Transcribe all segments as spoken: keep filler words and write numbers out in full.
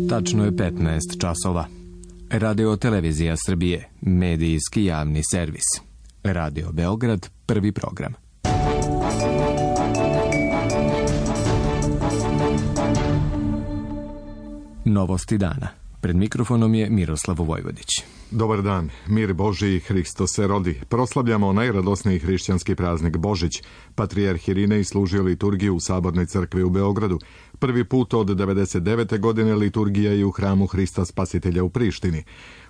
Tačno je petnaest časova. Radio Televizija Srbije, medijski javni servis. Radio Beograd, prvi program. Novosti dana. Pred mikrofonom je Miroslav Vojvodić. Dobar dan, mir Božiji, Hristos se rodi. Proslavljamo najradosniji hrišćanski praznik Božić. Patrijarh Irinej služio liturgiju u Sabornoj crkvi u Beogradu. Prvi put od devedeset devete. godine liturgija je u hramu Hrista Spasitelja u Prištini.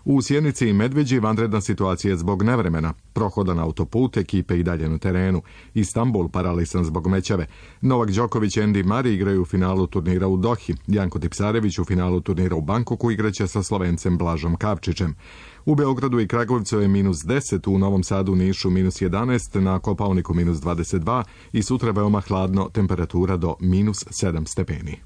U Sjenici i Medveđi vanredna situacija zbog nevremena. Prohodan autoput, ekipe i dalje na terenu. Istanbul paralisan zbog mećave. Novak Đoković i Andy Murray igraju u finalu turnira u Dohi. Janko Tipsarević u finalu turnira u Bankoku igraće sa Slovencem Blažom Kavčićem. U Beogradu i Kragovcu je minus deset, u Novom Sadu, Nišu minus jedanaest, na Kopaoniku minus dvadeset dva i sutra veoma hladno, temperatura do minus sedam stepeni.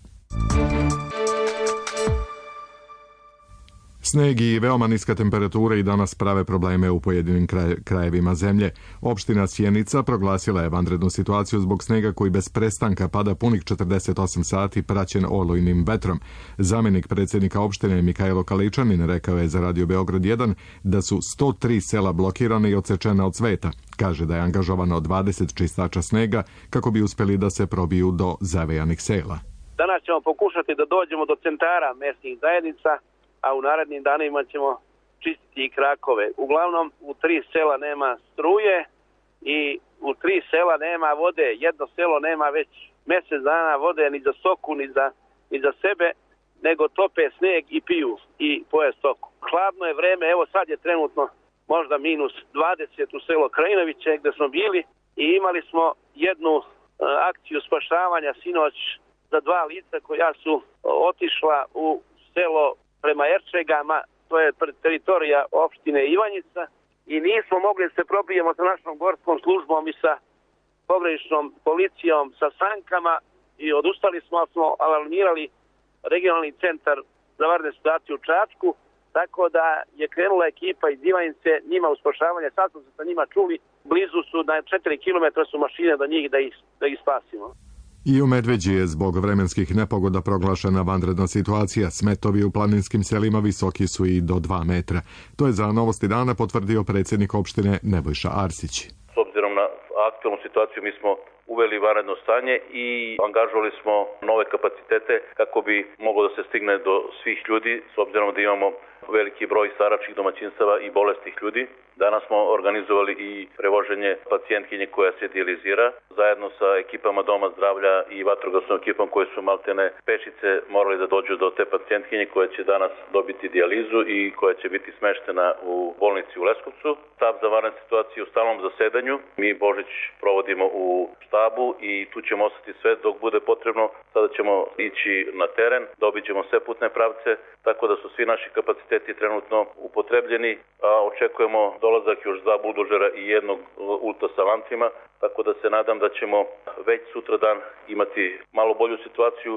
Sneg i veoma niska temperatura i danas prave probleme u pojedinim kraj, krajevima zemlje. Opština Sjenica proglasila je vanrednu situaciju zbog snega koji bez prestanka pada punih četrdeset osam sati praćen olujnim vetrom. Zamjenik predsjednika opštine Mihajlo Kaličanin rekao je za Radio Beograd jedan da su sto tri sela blokirane i odsečena od sveta. Kaže da je angažovano dvadeset čistača snega kako bi uspjeli da se probiju do zavejanih sela. Danas ćemo pokušati da dođemo do centara mesnih zajednica, a u narednim danima ćemo čistiti i krakove. Uglavnom, u tri sela nema struje i u tri sela nema vode. Jedno selo nema već mjesec dana vode ni za stoku, ni za, ni za sebe, nego tope sneg i piju i poje stoku. Hladno je vreme, evo sad je trenutno možda minus dvadeset u selo Krajinoviće gdje smo bili i imali smo jednu uh, akciju spašavanja sinoć za dva lica koja su otišla u selo prema Erčegama, to je teritorija opštine Ivanjica, i nismo mogli da se probijemo sa našom gorskom službom i sa pograničnom policijom sa sankama i odustali smo, smo alarmirali regionalni centar za vanredne situacije u Čačku, tako da je krenula ekipa iz Ivanjice njima u spašavanje. Sad smo se sa njima čuli, blizu su, na četiri kilometra su mašine do njih da ih, da ih spasimo. I u Medveđi je zbog vremenskih nepogoda proglašena vanredna situacija. Smetovi u planinskim selima visoki su i do dva metra. To je za Novosti dana potvrdio predsjednik opštine Nebojša Arsić. S obzirom na aktualnu situaciju mi smo uveli vanredno stanje i angažovali smo nove kapacitete kako bi moglo da se stigne do svih ljudi, s obzirom da imamo veliki broj staračkih domaćinstava i bolesnih ljudi. Danas smo organizovali i prevoženje pacijentkinje koja se dijalizira zajedno sa ekipama Doma zdravlja i vatrogasnom ekipom koje su maltene pešice morali da dođu do te pacijentkinje koja će danas dobiti dijalizu i koja će biti smeštena u bolnici u Leskovcu. Štab za vanredne situacije u stalnom zasedanju. Mi Božić provodimo u štabu i tu ćemo ostati sve dok bude potrebno. Sada ćemo ići na teren, da obiđemo sve putne pravce, tako da su svi naši kapaciteti trenutno upotrebljeni, a očekujemo dolazak još dva buldožera i jednog ulta sa lancima, tako da se nadam da ćemo već sutradan imati malo bolju situaciju.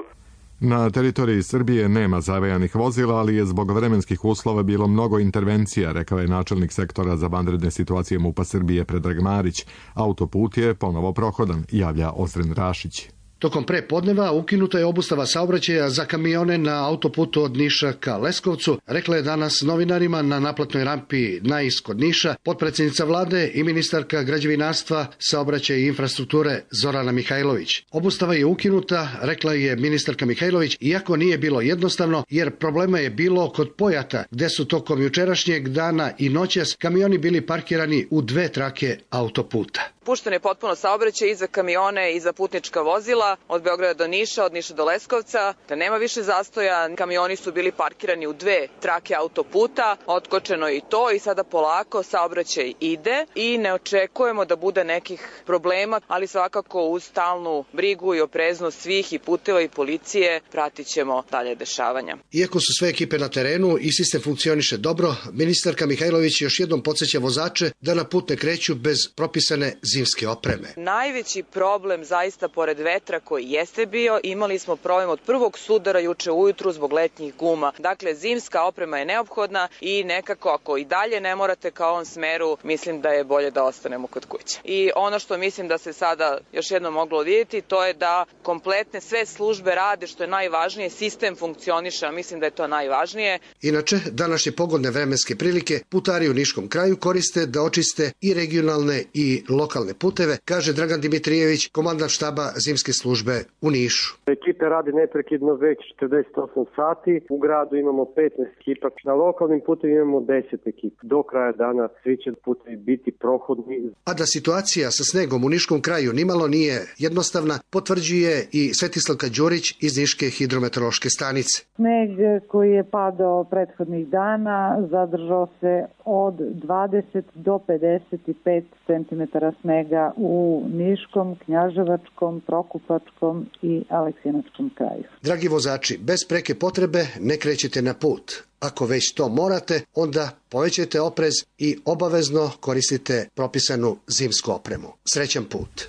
Na teritoriji Srbije nema zavejanih vozila, ali je zbog vremenskih uslova bilo mnogo intervencija, rekao je načelnik sektora za vanredne situacije MUP-a Srbije Predrag Marić. Autoput je ponovo prohodan, javlja Ozren Rašić. Tokom prepodneva ukinuta je obustava saobraćaja za kamione na autoputu od Niša ka Leskovcu, rekla je danas novinarima na naplatnoj rampi Nais kod Niša potpredsjednica vlade i ministarka građevinarstva, saobraćaja i infrastrukture Zorana Mihajlović. Obustava je ukinuta, rekla je ministarka Mihajlović, iako nije bilo jednostavno, jer problema je bilo kod Pojata, gde su tokom jučerašnjeg dana i noćas kamioni bili parkirani u dve trake autoputa. Pušten je potpuno saobraćaj i za kamione i za putnička vozila od Beograda do Niša, od Niša do Leskovca, da nema više zastoja. Kamioni su bili parkirani u dve trake autoputa, otkočeno i to i sada polako saobraćaj ide i ne očekujemo da bude nekih problema, ali svakako uz stalnu brigu i opreznost svih i puteva i policije pratit ćemo dalje dešavanja. Iako su sve ekipe na terenu i sistem funkcioniše dobro, ministarka Mihajlović još jednom podsjeća vozače da na put ne kreću bez propisane zimske opreme. Najveći problem zaista pored vetra koji jeste bio, imali smo problem od prvog sudara juče ujutru zbog letnjih guma. Dakle, zimska oprema je neophodna i nekako ako i dalje ne morate ka ovom smeru, mislim da je bolje da ostanemo kod kuće. I ono što mislim da se sada još jednom moglo vidjeti, to je da kompletne sve službe rade, što je najvažnije, sistem funkcioniše, a mislim da je to najvažnije. Inače, današnje pogodne vremenske prilike putari u Niškom kraju koriste da očiste i regionalne i lokalne puteve, kaže Dragan Dimitrijević, komandant štaba zimske službe u Nišu. Ekipe radi neprekidno već četrdeset osam sati, u gradu imamo petnaest ekipa, na lokalnim putevima imamo deset ekipa. Do kraja dana svi će putevi biti prohodni. A da situacija sa snegom u Niškom kraju nimalo nije jednostavna, potvrđuje i Svetislavka Đurić iz Niške hidrometeorološke stanice. Sneg koji je padao prethodnih dana zadržao se od dvadeset do pedeset pet centimetara snega u Niškom, Knjaževačkom, Prokupačkom i Aleksinačkom kraju. Dragi vozači, bez preke potrebe ne krećete na put. Ako već to morate, onda povećajte oprez i obavezno koristite propisanu zimsku opremu. Srećan put!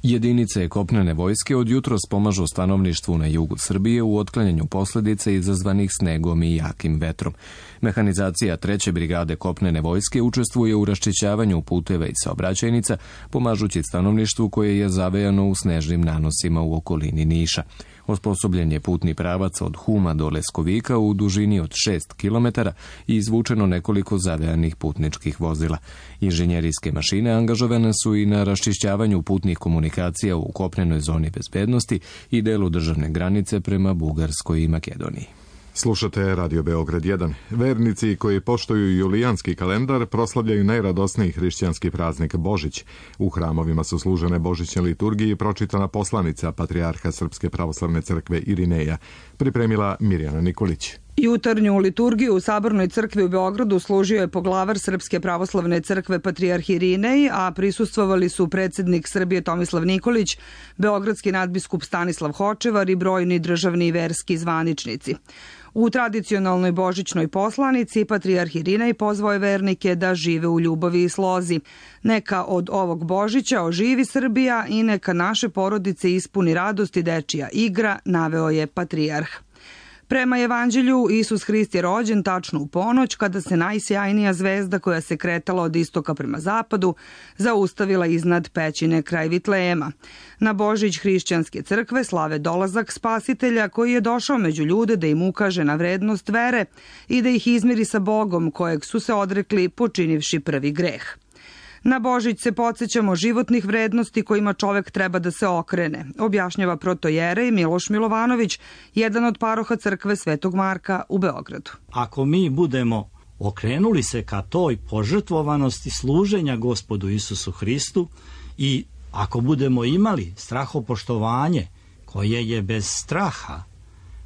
Jedinice kopnene vojske od jutros pomažu stanovništvu na jugu Srbije u otklanjanju posljedica izazvanih snegom i jakim vetrom. Mehanizacija treće brigade kopnene vojske učestvuje u raščišćavanju puteva i saobraćajnica, pomažući stanovništvu koje je zavejano u snežnim nanosima u okolini Niša. Osposobljen je putni pravac od Huma do Leskovika u dužini od šest kilometara i izvučeno nekoliko zavejanih putničkih vozila. Inženjerijske mašine angažovane su i na raščišćavanju putnih komunikacija u kopnenoj zoni bezbednosti i delu državne granice prema Bugarskoj i Makedoniji. Slušate Radio Beograd jedan. Vernici koji poštuju julijanski kalendar proslavljaju najradosniji hrišćanski praznik Božić. U hramovima su služene božićne liturgije i pročitana poslanica patrijarha Srpske pravoslavne crkve Irineja, pripremila Mirjana Nikolić. Jutarnju liturgiju u Sabornoj crkvi u Beogradu služio je poglavar Srpske pravoslavne crkve patrijarh Irinej, a prisustvovali su predsjednik Srbije Tomislav Nikolić, beogradski nadbiskup Stanislav Hočevar i brojni državni i verski zvaničnici. U tradicionalnoj božićnoj poslanici patrijarh Irinej pozvao je vernike da žive u ljubavi i slozi. Neka od ovog Božića oživi Srbija i neka naše porodice ispuni radost i dečija igra, naveo je patrijarh. Prema evanđelju, Isus Hrist je rođen tačno u ponoć, kada se najsjajnija zvezda koja se kretala od istoka prema zapadu zaustavila iznad pećine kraj Vitlejema. Na Božić hrišćanske crkve slave dolazak Spasitelja koji je došao među ljude da im ukaže na vrednost vere i da ih izmiri sa Bogom kojeg su se odrekli počinivši prvi greh. Na Božić se podsjećamo životnih vrednosti kojima čovek treba da se okrene, objašnjava protojerej Miloš Milovanović, jedan od paroha crkve Svetog Marka u Beogradu. Ako mi budemo okrenuli se ka toj požrtvovanosti služenja Gospodu Isusu Hristu i ako budemo imali strahopoštovanje koje je bez straha,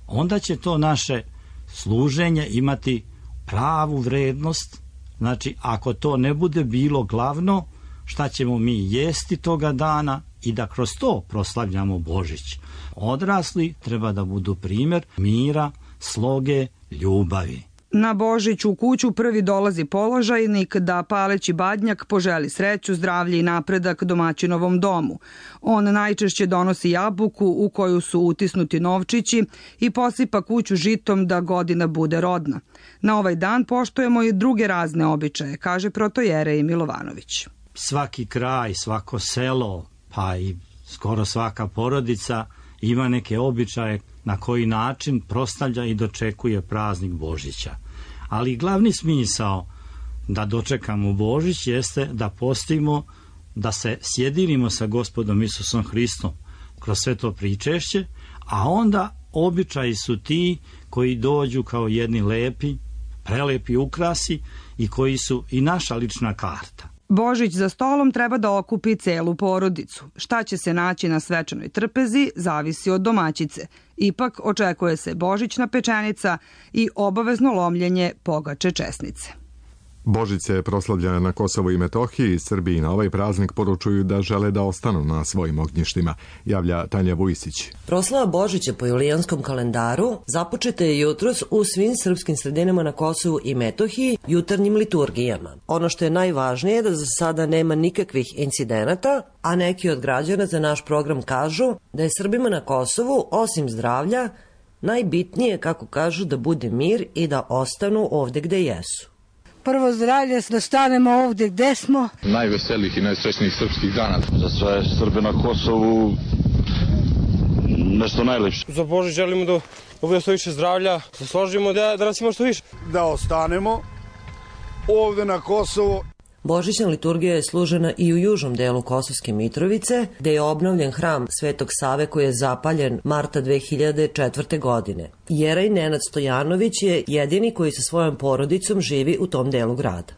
onda će to naše služenje imati pravu vrednost. Znači, ako to ne bude bilo glavno, šta ćemo mi jesti toga dana i da kroz to proslavljamo Božić. Odrasli treba da budu primjer mira, sloge, ljubavi. Na Božić u kuću prvi dolazi položajnik da paleći badnjak poželi sreću, zdravlje i napredak domaćinovom domu. On najčešće donosi jabuku u koju su utisnuti novčići i posipa kuću žitom da godina bude rodna. Na ovaj dan poštujemo i druge razne običaje, kaže protojerej Milovanović. Svaki kraj, svako selo, pa i skoro svaka porodica ima neke običaje na koji način proslavlja i dočekuje praznik Božića. Ali glavni smisao da dočekamo Božić jeste da postimo, da se sjedinimo sa Gospodom Isusom Hristom kroz sve to pričešće, a onda običaji su ti koji dođu kao jedni lepi, prelepi ukrasi i koji su i naša lična karta. Božić za stolom treba da okupi celu porodicu. Šta će se naći na svečanoj trpezi, zavisi od domaćice. Ipak očekuje se božićna pečenica i obavezno lomljenje pogače česnice. Božić se proslavlja na Kosovu i Metohiji. Srbiji na ovaj praznik poručuju da žele da ostanu na svojim ognjištima, javlja Tanja Vujsić. Proslava Božića po julijanskom kalendaru započeta je jutros u svim srpskim sredinama na Kosovu i Metohiji jutarnjim liturgijama. Ono što je najvažnije je da za sada nema nikakvih incidenata, a neki od građana za naš program kažu da je Srbima na Kosovu, osim zdravlja, najbitnije, kako kažu, da bude mir i da ostanu ovde gde jesu. Prvo zdravlje, da stanemo ovdje gde smo. Najveselih i najsrećnijih srpskih dana. Za sve Srbe na Kosovu nešto najlepše. Za Božić želimo da bude što više zdravlja, da složimo da, da nas ima što više. Da ostanemo ovdje na Kosovu. Božićna liturgija je služena i u južnom delu Kosovske Mitrovice, gde je obnovljen hram Svetog Save koji je zapaljen marta dve hiljade četvrte. godine. Jerej Nenad Stojanović je jedini koji sa svojom porodicom živi u tom delu grada.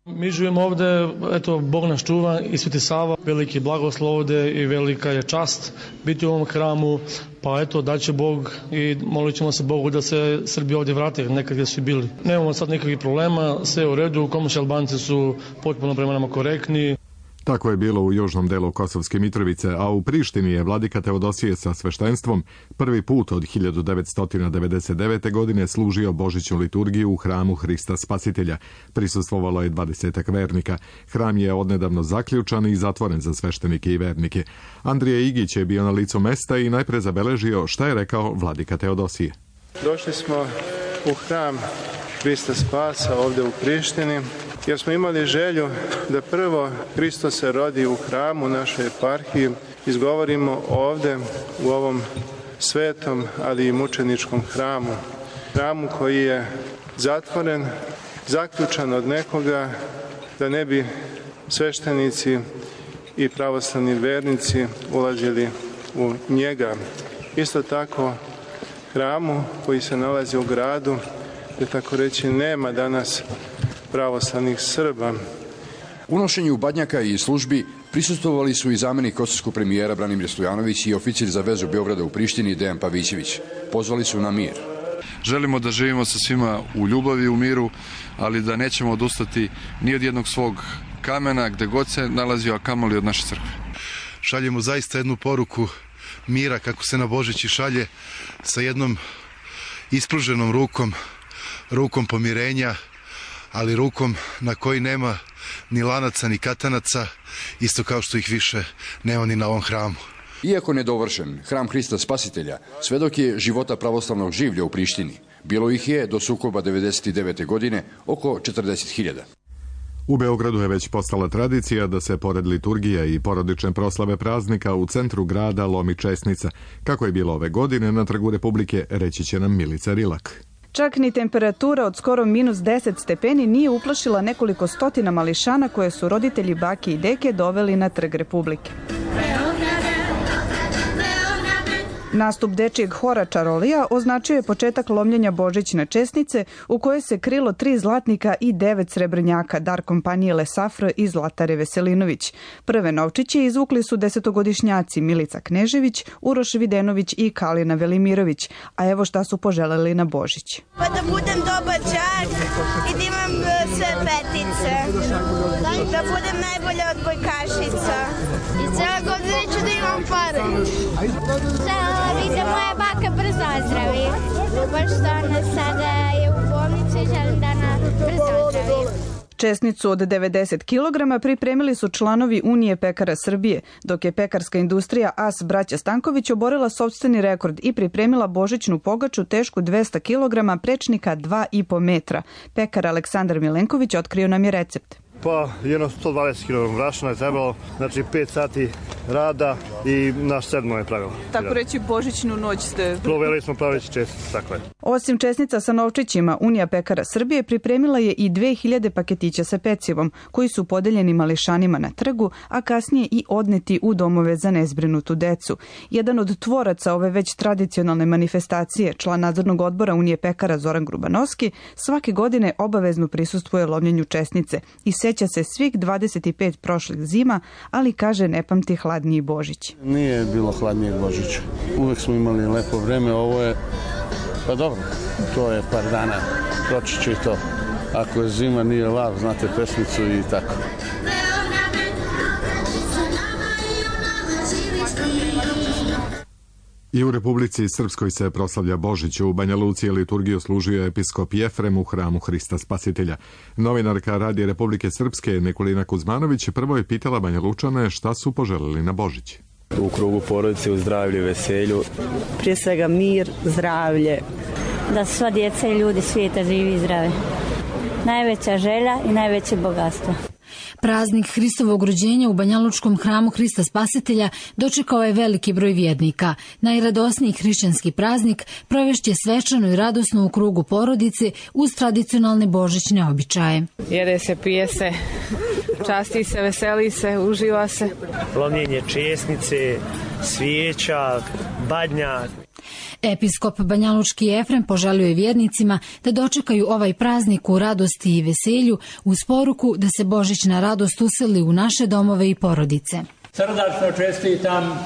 Mi živimo ovde, eto, Bog nas čuva i Sveti Sava, veliki blagoslov ovde i velika je čast biti u ovom hramu, pa eto, daće Bog i molit ćemo se Bogu da se Srbi ovdje vrate nekad gdje su bili. Nemamo sad nekakvih problema, sve u redu, Komoši Albanci su potpuno prema nama korektni. Tako je bilo u južnom delu Kosovske Mitrovice, a u Prištini je vladika Teodosije sa sveštenstvom prvi put od hiljadu devetsto devedeset devete. godine služio božićnu liturgiju u hramu Hrista Spasitelja. Prisustvovalo je dvadesetak vernika. Hram je odnedavno zaključan i zatvoren za sveštenike i vernike. Andrije Igić je bio na licu mesta i najpre zabeležio šta je rekao vladika Teodosije. Došli smo u hram Hrista Spasa ovdje u Prištini, jer smo imali želju da prvo Hristos se rodi u hramu našoj eparhiji, izgovorimo ovdje u ovom svetom, ali i mučeničkom hramu. Hramu koji je zatvoren, zaključan od nekoga, da ne bi sveštenici i pravoslavni vernici ulazili u njega. Isto tako hramu koji se nalazi u gradu, gdje tako reći nema danas pravoslavnih Srba. Unošenju badnjaka i službi prisustvovali su i zamjenik kosovskog premijera Branimir Stojanović i oficir za vezu Beograda u Prištini Dejan Pavićević. Pozvali su na mir. Želimo da živimo sa svima u ljubavi i u miru, ali da nećemo odustati ni od jednog svog kamena gde god se nalazio, a kamoli od naše crkve. Šaljemo zaista jednu poruku mira kako se na Božić i šalje, sa jednom ispruženom rukom, rukom pomirenja, ali rukom na koji nema ni lanaca ni katanaca, isto kao što ih više nema ni na ovom hramu. Iako nedovršen, hram Hrista Spasitelja svedok je života pravoslavnog življa u Prištini. Bilo ih je do sukoba devedeset devete. godine oko četrdeset hiljada. U Beogradu je već postala tradicija da se pored liturgija i porodične proslave praznika u centru grada lomi česnica. Kako je bilo ove godine na Trgu Republike, reći će nam Milica Rilak. Čak ni temperatura od skoro minus deset stepeni nije uplašila nekoliko stotina mališana koje su roditelji bake i deke doveli na Trg Republike. Nastup dečijeg hora Čarolija označio je početak lomljenja božićne česnice u kojoj se krilo tri zlatnika i devet srebrnjaka, dar kompanije Lesafr i Zlatare Veselinović. Prve novčiće izvukli su desetogodišnjaci Milica Knežević, Uroš Videnović i Kalina Velimirović, a evo šta su poželeli na Božić. Pa da budem dobar đak i da imam sve petice, da budem najbolja odbojkašica i cijela godina ću da imam pare. I da moja baka brzo ozdravi, pošto ona sada je u bolnici i želim da ona brzo ozdravi. Česnicu od devedeset kilograma pripremili su članovi Unije pekara Srbije, dok je pekarska industrija As braća Stanković oborila sopstveni rekord i pripremila božićnu pogaču tešku dvesta kilograma prečnika dva i po metra. Pekar Aleksandar Milenković otkrio nam je recept. Pa jedno sto dvadeset kilograma brašna je trebalo, znači pet sati rada i naš sedmo je pravilo. Tako reći božićnu noć ste... Proveli smo praveći česnice, tako je. Osim česnica sa novčićima, Unija pekara Srbije pripremila je i dve hiljade paketića sa pecivom, koji su podeljeni mališanima na trgu, a kasnije i odneti u domove za nezbrinutu decu. Jedan od tvoraca ove već tradicionalne manifestacije, član nadzornog odbora Unije pekara Zoran Grubanovski, svake godine obavezno prisustvuje lomljenju česnice i seća se svih dvadeset pet prošlih zima, ali kaže ne pamti hladniji Božić. Nije bilo hladnijeg Božića. Uvek smo imali lepo vreme, ovo je, pa dobro, to je par dana, proći će i to. ako je zima nije lav, znate pesmicu i tako. I u Republici Srpskoj se proslavlja Božić. U Banja Luci je liturgiju služio episkop Jefrem u hramu Hrista Spasitelja. Novinarka Radija Republike Srpske Nikolina Kuzmanović prvo je pitala Banja Lučane šta su poželeli na Božić. U krugu porodice, u zdravlju, veselju. Prije svega mir, zdravlje. Da sva djeca i ljudi svijeta živi i zdrave. Najveća želja i najveće bogatstvo. Praznik Hristovog rođenja u Banjalučkom hramu Hrista Spasitelja dočekao je veliki broj vjernika. Najradosniji hrišćanski praznik provešće svečano i radosno u krugu porodice uz tradicionalne božićne običaje. Jede se, pije se, časti se, veseli se, uživa se. Lomljenje česnice, svijeća, badnjak. Episkop Banjalučki Jefrem poželio je vjernicima da dočekaju ovaj praznik u radosti i veselju uz poruku da se božićna radost useli u naše domove i porodice. Srdačno čestitam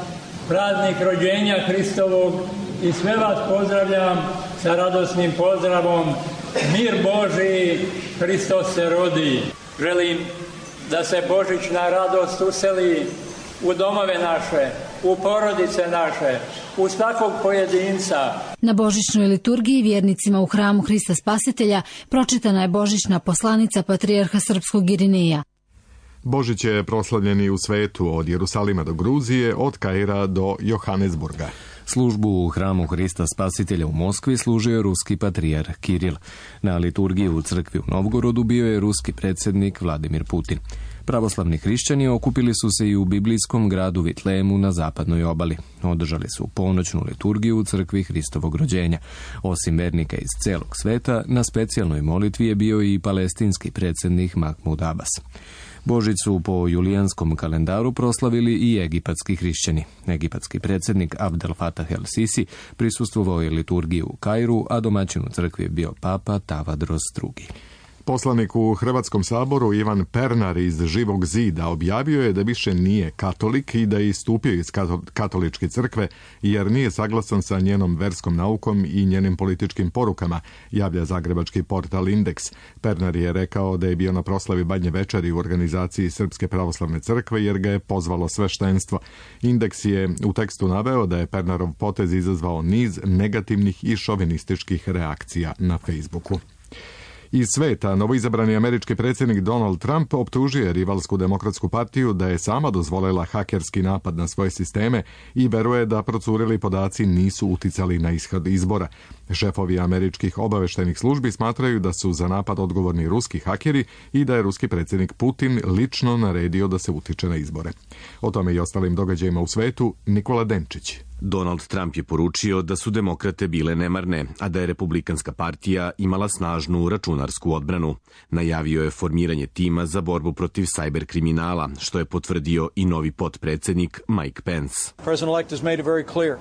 praznik rođenja Hristovog i sve vas pozdravljam sa radosnim pozdravom. Mir Božiji, Hristos se rodi. Želim da se božićna radost useli u domove naše, u porodice naše, u svakog pojedinca. Na božićnoj liturgiji vjernicima u hramu Hrista Spasitelja pročitana je božićna poslanica patrijarha srpskog Irineja. Božić je proslavljen i u svetu, od Jerusalima do Gruzije, od Kaira do Johannesburga. Službu u hramu Hrista Spasitelja u Moskvi služio je ruski patrijarh Kiril. Na liturgiji u crkvi u Novgorodu bio je ruski predsjednik Vladimir Putin. Pravoslavni hrišćani okupili su se i u biblijskom gradu Vitlemu na zapadnoj obali. Održali su ponoćnu liturgiju u crkvi Hristovog rođenja. Osim vernika iz celog sveta, na specijalnoj molitvi je bio i palestinski predsjednik Mahmud Abbas. Božić su po julijanskom kalendaru proslavili i egipatski hrišćani. Egipatski predsjednik Abdel Fattah el-Sisi prisustvovao je liturgiji u Kairu, a domaćin u crkvi je bio papa Tavadros drugi. Poslanik u Hrvatskom saboru Ivan Pernar iz Živog zida objavio je da više nije katolik i da je istupio iz katoličke crkve jer nije saglasan sa njenom verskom naukom i njenim političkim porukama, javlja zagrebački portal Indeks. Pernar je rekao da je bio na proslavi Badnje večeri u organizaciji Srpske pravoslavne crkve jer ga je pozvalo sveštenstvo. Indeks je u tekstu naveo da je Pernarov potez izazvao niz negativnih i šovinističkih reakcija na Facebooku. Iz sveta, novoizabrani američki predsjednik Donald Trump optužuje rivalsku demokratsku partiju da je sama dozvolila hakerski napad na svoje sisteme i veruje da procurili podaci nisu uticali na ishod izbora. Šefovi američkih obaveštajnih službi smatraju da su za napad odgovorni ruski hakeri i da je ruski predsjednik Putin lično naredio da se utiče na izbore. O tome i ostalim događajima u svetu Nikola Denčić. Donald Trump je poručio da su demokrate bile nemarne, a da je republikanska partija imala snažnu računarsku odbranu. Najavio je formiranje tima za borbu protiv sajber kriminala, što je potvrdio i novi potpredsjednik Mike Pence.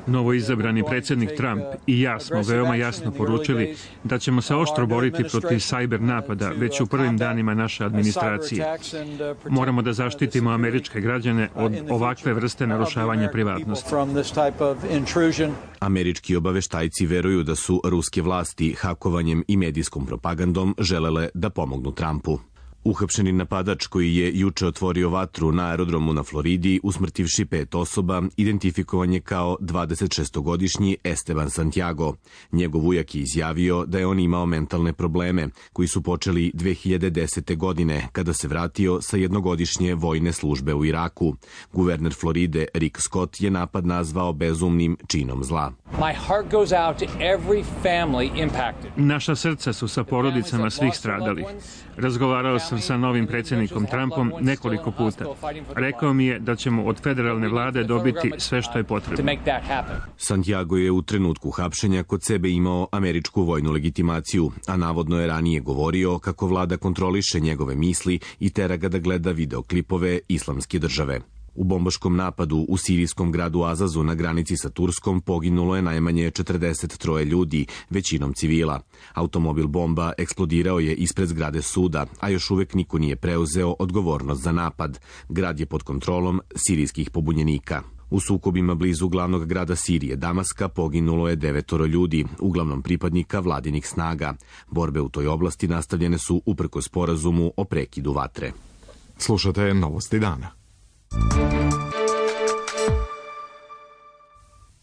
Novoizabrani predsjednik Trump i ja smo veoma jasno poručili da ćemo se oštro boriti protiv sajber napada već u prvim danima naše administracije. Moramo da zaštitimo američke građane od ovakve vrste narušavanja privatnosti. Američki obaveštajci veruju da su ruske vlasti hakovanjem i medijskom propagandom želele da pomognu Trumpu. Uhapšeni napadač koji je juče otvorio vatru na aerodromu na Floridi, usmrtivši pet osoba, identifikovan je kao dvadesetšestogodišnji Esteban Santiago. Njegov ujak je izjavio da je on imao mentalne probleme koji su počeli dve hiljade desete. godine kada se vratio sa jednogodišnje vojne službe u Iraku. Guverner Floride Rick Scott je napad nazvao bezumnim činom zla. Naša srca su sa porodicama svih stradalih. Razgovarao sam sa novim predsjednikom Trumpom nekoliko puta. Rekao mi je da ćemo od federalne vlade dobiti sve što je potrebno. Santiago je u trenutku hapšenja kod sebe imao američku vojnu legitimaciju, a navodno je ranije govorio kako vlada kontroliše njegove misli i tera ga da gleda videoklipove Islamske države. U bombaškom napadu u sirijskom gradu Azazu na granici sa Turskom poginulo je najmanje četrdeset troje ljudi, većinom civila. Automobil bomba eksplodirao je ispred zgrade suda, a još uvek niko nije preuzeo odgovornost za napad. Grad je pod kontrolom sirijskih pobunjenika. U sukobima blizu glavnog grada Sirije, Damaska, poginulo je devetoro ljudi, uglavnom pripadnika vladinih snaga. Borbe u toj oblasti nastavljene su uprkos sporazumu o prekidu vatre. Slušate Novosti dana.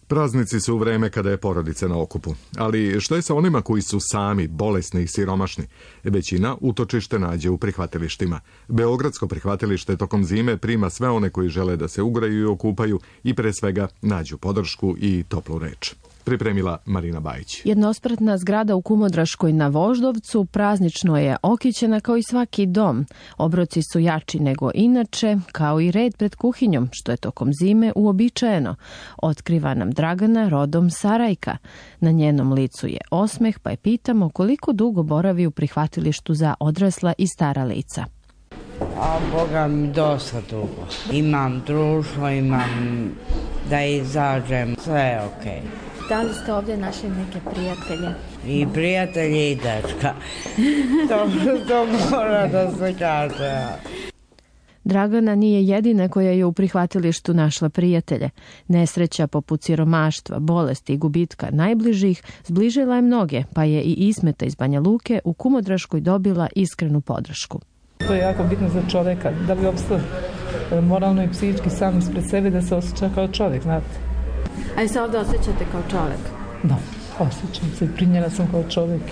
Praznici su u vreme kada je porodica na okupu. Ali što je sa onima koji su sami, bolesni i siromašni? Većina utočište nađe u prihvatilištima. Beogradsko prihvatilište tokom zime prima sve one koji žele da se ugraju i okupaju i pre svega nađu podršku i toplu reč. Pripremila Marina Bajić. Jednospratna zgrada u Kumodraškoj na Voždovcu praznično je okićena kao i svaki dom. Obroci su jači nego inače, kao i red pred kuhinjom, što je tokom zime uobičajeno. Otkriva nam Dragana, rodom Sarajka. Na njenom licu je osmeh, pa je pitamo koliko dugo boravi u prihvatilištu za odrasla i stara lica. A Boga mi dosta dugo. Imam društvo, imam da izađem, sve je okej. Okay. Da li ste ovdje našli neke prijatelje? I prijatelje i dečka. to, to mora da se kaže. Dragana nije jedina koja je u prihvatilištu našla prijatelje. Nesreća poput siromaštva, bolesti i gubitka najbližih zbližila je mnoge, pa je i Ismeta iz Banja Luke u Kumodraškoj dobila iskrenu podršku. To je jako bitno za čoveka, da bi opstao moralno i psihički sam ispred sebe, da se osjeća kao čovjek, znate. A i se ovdje osjećate kao čovjek? Da, osjećam se i primljena sam kao čovjek.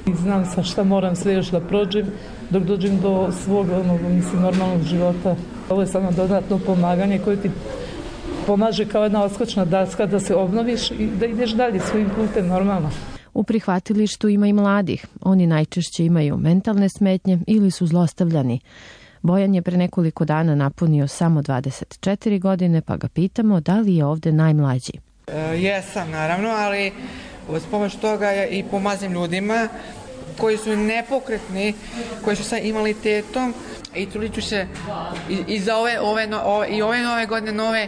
I znam sa šta moram sve još da prođem dok dođem do svog onog, mislim, normalnog života. Ovo je samo dodatno pomaganje koje ti pomaže kao jedna odskočna daska da se obnoviš i da ideš dalje svojim putem normalno. U prihvatilištu ima i mladih. Oni najčešće imaju mentalne smetnje ili su zlostavljani. Bojan je pre nekoliko dana napunio samo dvadeset četiri godine, pa ga pitamo da li je ovde najmlađi. E, jesam, naravno, ali uz pomoć toga ja i pomazim ljudima koji su nepokretni, koji su sa invaliditetom i trudit ću se i, i za ove, ove, ove, i ove nove godine nove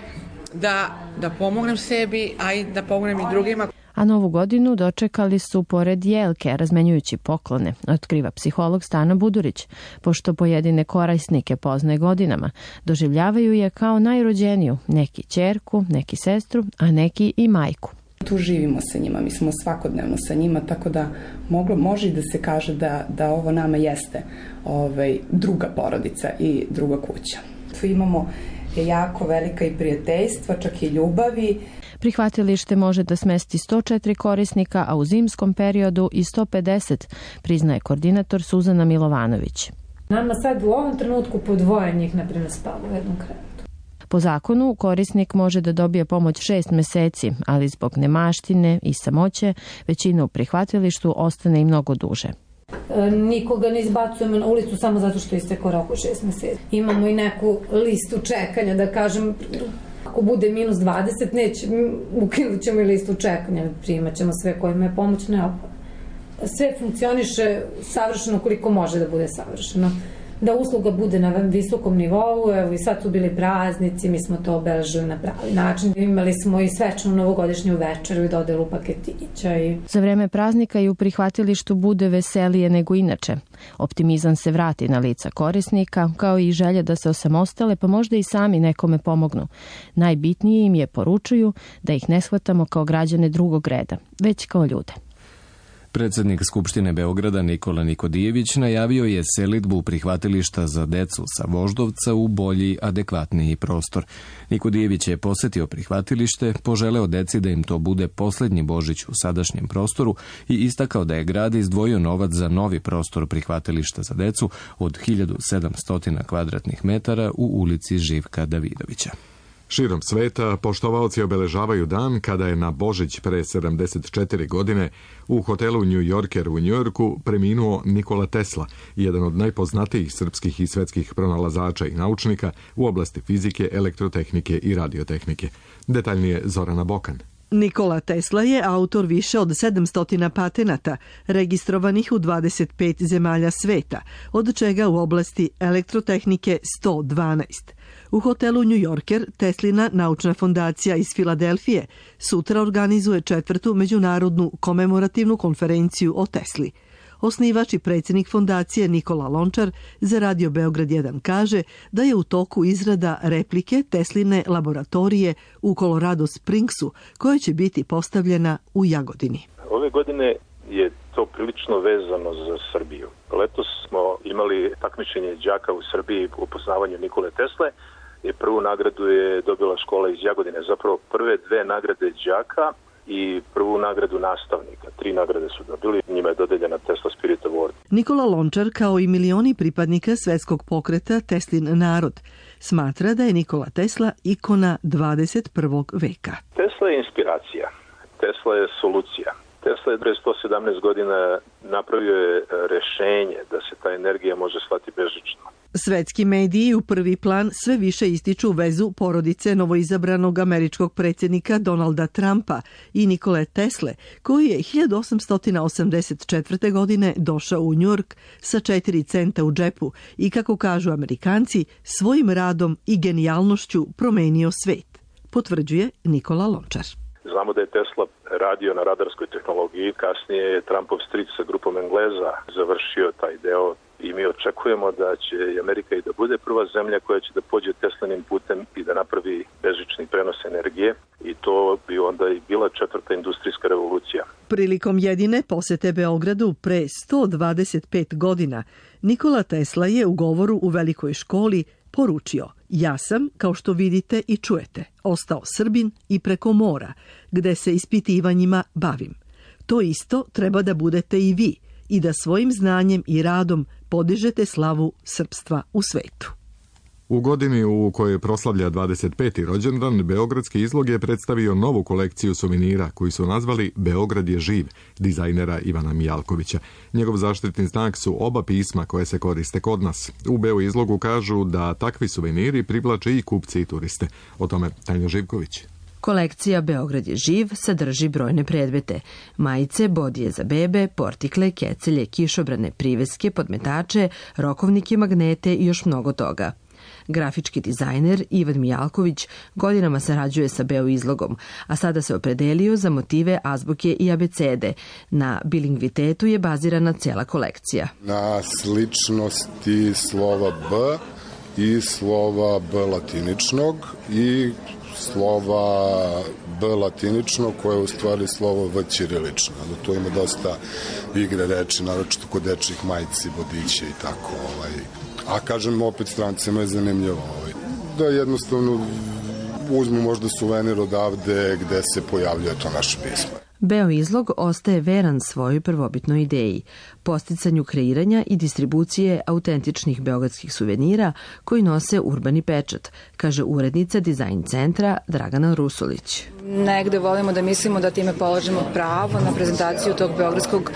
da, da pomognem sebi, a i da pomognem i drugima. A novu godinu dočekali su pored jelke, razmenjujući poklone, otkriva psiholog Stana Budurić, pošto pojedine korisnike poznaje godinama. Doživljavaju je kao najrođeniju, neki ćerku, neki sestru, a neki i majku. Tu živimo sa njima, mi smo svakodnevno sa njima, tako da moglo, može da se kaže da, da ovo nama jeste ovaj, druga porodica i druga kuća. Tu imamo jako velika i prijateljstva, čak i ljubavi. Prihvatilište može da smesti sto četiri korisnika, a u zimskom periodu i sto pedeset, priznaje koordinator Suzana Milovanović. Nama sad u ovom trenutku po dvoje njih, na primjer, spava u jednom krevetu. Po zakonu, korisnik može da dobije pomoć šest meseci, ali zbog nemaštine i samoće, većina u prihvatilištu ostane i mnogo duže. E, nikoga ne izbacujemo na ulicu samo zato što istekao rok u šest meseci. Imamo i neku listu čekanja, da kažem, ako bude minus dvadeset, neće, ukinut ćemo i listu čekanja, primat ćemo sve kojima je pomoć neophodna. Sve funkcioniše savršeno koliko može da bude savršeno. Da usluga bude na visokom nivou, evo i sad su bili praznici, mi smo to obeležili na pravi način. Imali smo i svečanu novogodišnju večeru i dodelu paketića. I... Za vreme praznika i u prihvatilištu bude veselije nego inače. Optimizam se vrati na lica korisnika, kao i želja da se osamostale, pa možda i sami nekome pomognu. Najbitnije im je, poručuju, da ih ne shvatamo kao građane drugog reda, već kao ljude. Predsednik Skupštine Beograda Nikola Nikodijević najavio je selidbu prihvatilišta za decu sa Voždovca u bolji, adekvatniji prostor. Nikodijević je posetio prihvatilište, poželeo deci da im to bude poslednji Božić u sadašnjem prostoru i istakao da je grad izdvojio novac za novi prostor prihvatilišta za decu od hiljadu sedamsto kvadratnih metara u ulici Živka Davidovića. Širom sveta poštovaoci obeležavaju dan kada je na Božić pre sedamdeset četiri godine u hotelu New Yorker u Njujorku preminuo Nikola Tesla, jedan od najpoznatijih srpskih i svetskih pronalazača i naučnika u oblasti fizike, elektrotehnike i radiotehnike. Detaljnije Zorana Bokan. Nikola Tesla je autor više od sedamsto patenata, registrovanih u dvadeset pet zemalja sveta, od čega u oblasti elektrotehnike sto dvanaest. U hotelu New Yorker Teslina naučna fondacija iz Filadelfije sutra organizuje četvrtu međunarodnu komemorativnu konferenciju o Tesli. Osnivač i predsjednik fondacije Nikola Lončar za Radio Beograd jedan kaže da je u toku izrada replike Tesline laboratorije u Colorado Springsu, koja će biti postavljena u Jagodini. Ove godine je to prilično vezano za Srbiju. Letos smo imali takmičenje đaka u Srbiji u poznavanju Nikole Tesle i prvu nagradu je dobila škola iz Jagodine. Zapravo prve dve nagrade đaka i prvu nagradu nastavnika. Tri nagrade su dobili, njima je dodeljena Tesla Spirit Award. Nikola Lončar, kao i milioni pripadnika svetskog pokreta Teslin narod, smatra da je Nikola Tesla ikona dvadeset prvog veka. Tesla je inspiracija, Tesla je solucija. Tesla je pre sto sedamnaest godina napravio je rešenje da se ta energija može slati bežično. Svetski mediji u prvi plan sve više ističu vezu porodice novoizabranog američkog predsjednika Donalda Trumpa i Nikole Tesle, koji je hiljadu osamsto osamdeset četvrte. godine došao u Njujork sa četiri centa u džepu i, kako kažu Amerikanci, svojim radom i genijalnošću promenio svet, potvrđuje Nikola Lončar. Znamo da je Tesla radio na radarskoj tehnologiji, kasnije je Trumpov stric sa grupom Engleza završio taj deo i mi očekujemo da će Amerika i da bude prva zemlja koja će da pođe Teslanim putem i da napravi bežični prenos energije i to bi onda i bila četvrta industrijska revolucija. Prilikom jedine posete Beogradu pre sto dvadeset pet godina, Nikola Tesla je u govoru u velikoj školi poručio: ja sam, kao što vidite i čujete, ostao Srbin i preko mora, gde se ispitivanjima bavim. To isto treba da budete i vi i da svojim znanjem i radom podižete slavu srpstva u svetu. U godini u kojoj proslavlja dvadeset peti rođendan, Beogradski izlog je predstavio novu kolekciju suvenira koji su nazvali Beograd je živ, dizajnera Ivana Mijalkovića. Njegov zaštitni znak su oba pisma koje se koriste kod nas. U Beo izlogu kažu da takvi suveniri privlače i kupce i turiste. O tome Tanja Živković. Kolekcija Beograd je živ sadrži brojne predmete: majice, bodije za bebe, portikle, kecelje, kišobrane, priveske, podmetače, rokovnike, magnete i još mnogo toga. Grafički dizajner Ivan Mijalković godinama sarađuje sa Beo izlogom, a sada se opredelio za motive azbuke i abecede. Na bilingvitetu je bazirana cela kolekcija. Na sličnosti slova B i slova B latiničnog i slova B latinično koje je u stvari slovo V ćirilično. Tu ima dosta igre reči, naročito kod dečjih majici, vodića i tako. Ovaj. A kažem, opet strancima je zanimljivo. Ovaj. Da jednostavno uzmu možda suvenir odavde gde se pojavljuje to naše pismo. Beo izlog ostaje veran svojoj prvobitnoj ideji, podsticanju kreiranja i distribucije autentičnih beogradskih suvenira koji nose urbani pečat, kaže urednica dizajn centra Dragana Rusulić. Negde volimo da mislimo da time položimo pravo na prezentaciju tog beogradskog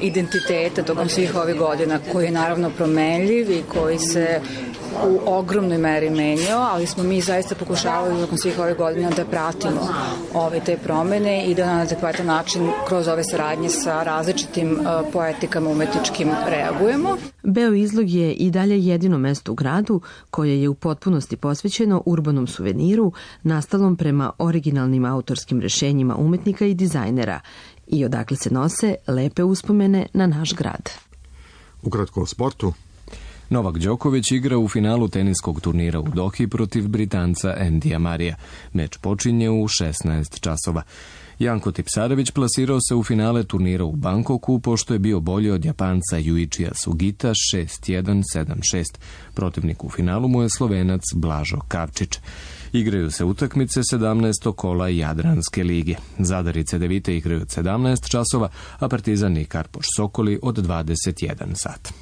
identiteta tokom svih ovih godina, koji je naravno promenljiv i koji se u ogromnoj meri menjao, ali smo mi zaista pokušavali tokom svih ovih godina da pratimo ove te promene i da na adekvatan način kroz ove saradnje sa različitim uh, poetikama umetničkim reagujemo. Beo izlog je i dalje jedino mesto u gradu koje je u potpunosti posvećeno urbanom suveniru nastalom prema originalnim autorskim rešenjima umetnika i dizajnera i odakle se nose lepe uspomene na naš grad. Ukratko o sportu. Novak Đoković igra u finalu teniskog turnira u Dohi protiv Britanca Endija Marija. Meč počinje u šesnaest časova. Janko Tipsarević plasirao se u finale turnira u Bangkoku pošto je bio bolji od Japanca Yuichija Sugita šest jedan sedam šest. Protivnik u finalu mu je Slovenac Blažo Kavčić. Igraju se utakmice sedamnaestog kola Jadranske lige. Zadar i Cedevite igraju od sedamnaest časova, a Partizan i Karpoš Sokoli od dvadeset jedan sat.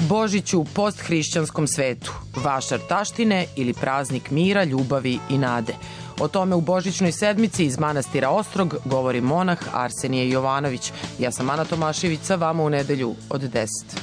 Božić u posthrišćanskom svetu, vašar taštine ili praznik mira, ljubavi i nade. O tome u Božićnoj sedmici iz manastira Ostrog govori monah Arsenije Jovanović. Ja sam Ana Tomašević, sa vama u nedelju od deset.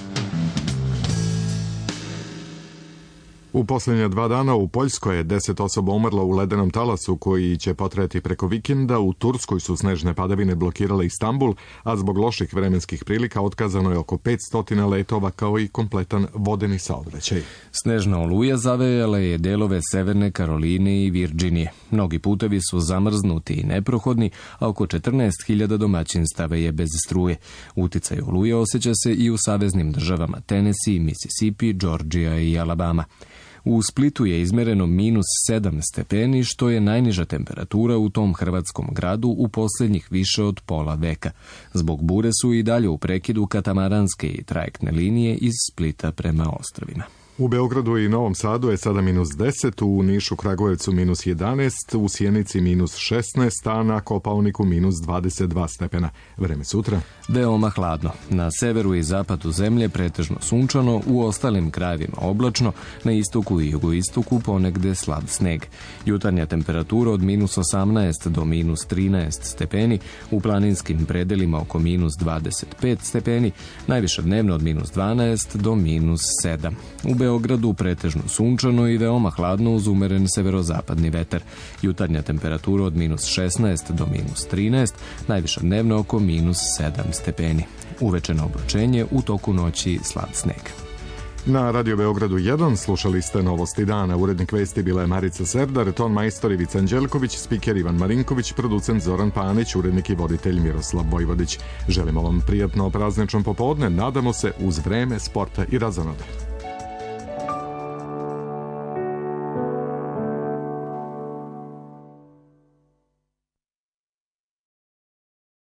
U posljednja dva dana u Poljskoj je deset osoba umrlo u ledenom talasu koji će potreti preko vikenda. U Turskoj su snežne padavine blokirale Istanbul, a zbog loših vremenskih prilika otkazano je oko petsto letova kao i kompletan vodeni saobraćaj. Snežna oluja zavejala je delove Severne Karoline i Virđinije. Mnogi putevi su zamrznuti i neprohodni, a oko četrnaest hiljada domaćinstava je bez struje. Uticaj oluje osjeća se i u saveznim državama Tennessee, Mississippi, Georgia i Alabama. U Splitu je izmereno minus sedam stepeni, što je najniža temperatura u tom hrvatskom gradu u posljednjih više od pola veka. Zbog bure su i dalje u prekidu katamaranske i trajektne linije iz Splita prema ostrvima. U Beogradu i Novom Sadu je sada minus deset, u Nišu, Kragujevcu minus jedanaest, u Sjenici minus šesnaest, a na Kopaoniku minus dvadeset dva stepena. Vreme sutra? Veoma hladno. Na severu i zapadu zemlje pretežno sunčano, u ostalim krajevima oblačno, na istoku i jugoistoku ponegde slab sneg. Jutarnja temperatura od minus osamnaest do minus trinaest stepeni, u planinskim predelima oko minus dvadeset pet stepeni, najviša dnevno od minus dvanaest do minus sedam. U Beogradu pretežno sunčano i veoma hladno uz umeren severozapadni vetar. Jutarnja temperatura od minus šesnaest do minus trinaest, najviša dnevno oko minus sedam stepeni. Uvečeno oblačenje, u toku noći slab sneg. Na Radio Beogradu jedan slušali ste Novosti dana. Urednik vesti bila je Marica Serdar, ton majstor Ivica Anđelković, spiker Ivan Marinković, producent Zoran Panić, urednik i voditelj Miroslav Vojvodić. Želimo vam prijatno praznično popodne, nadamo se uz vreme, sporta i razonode.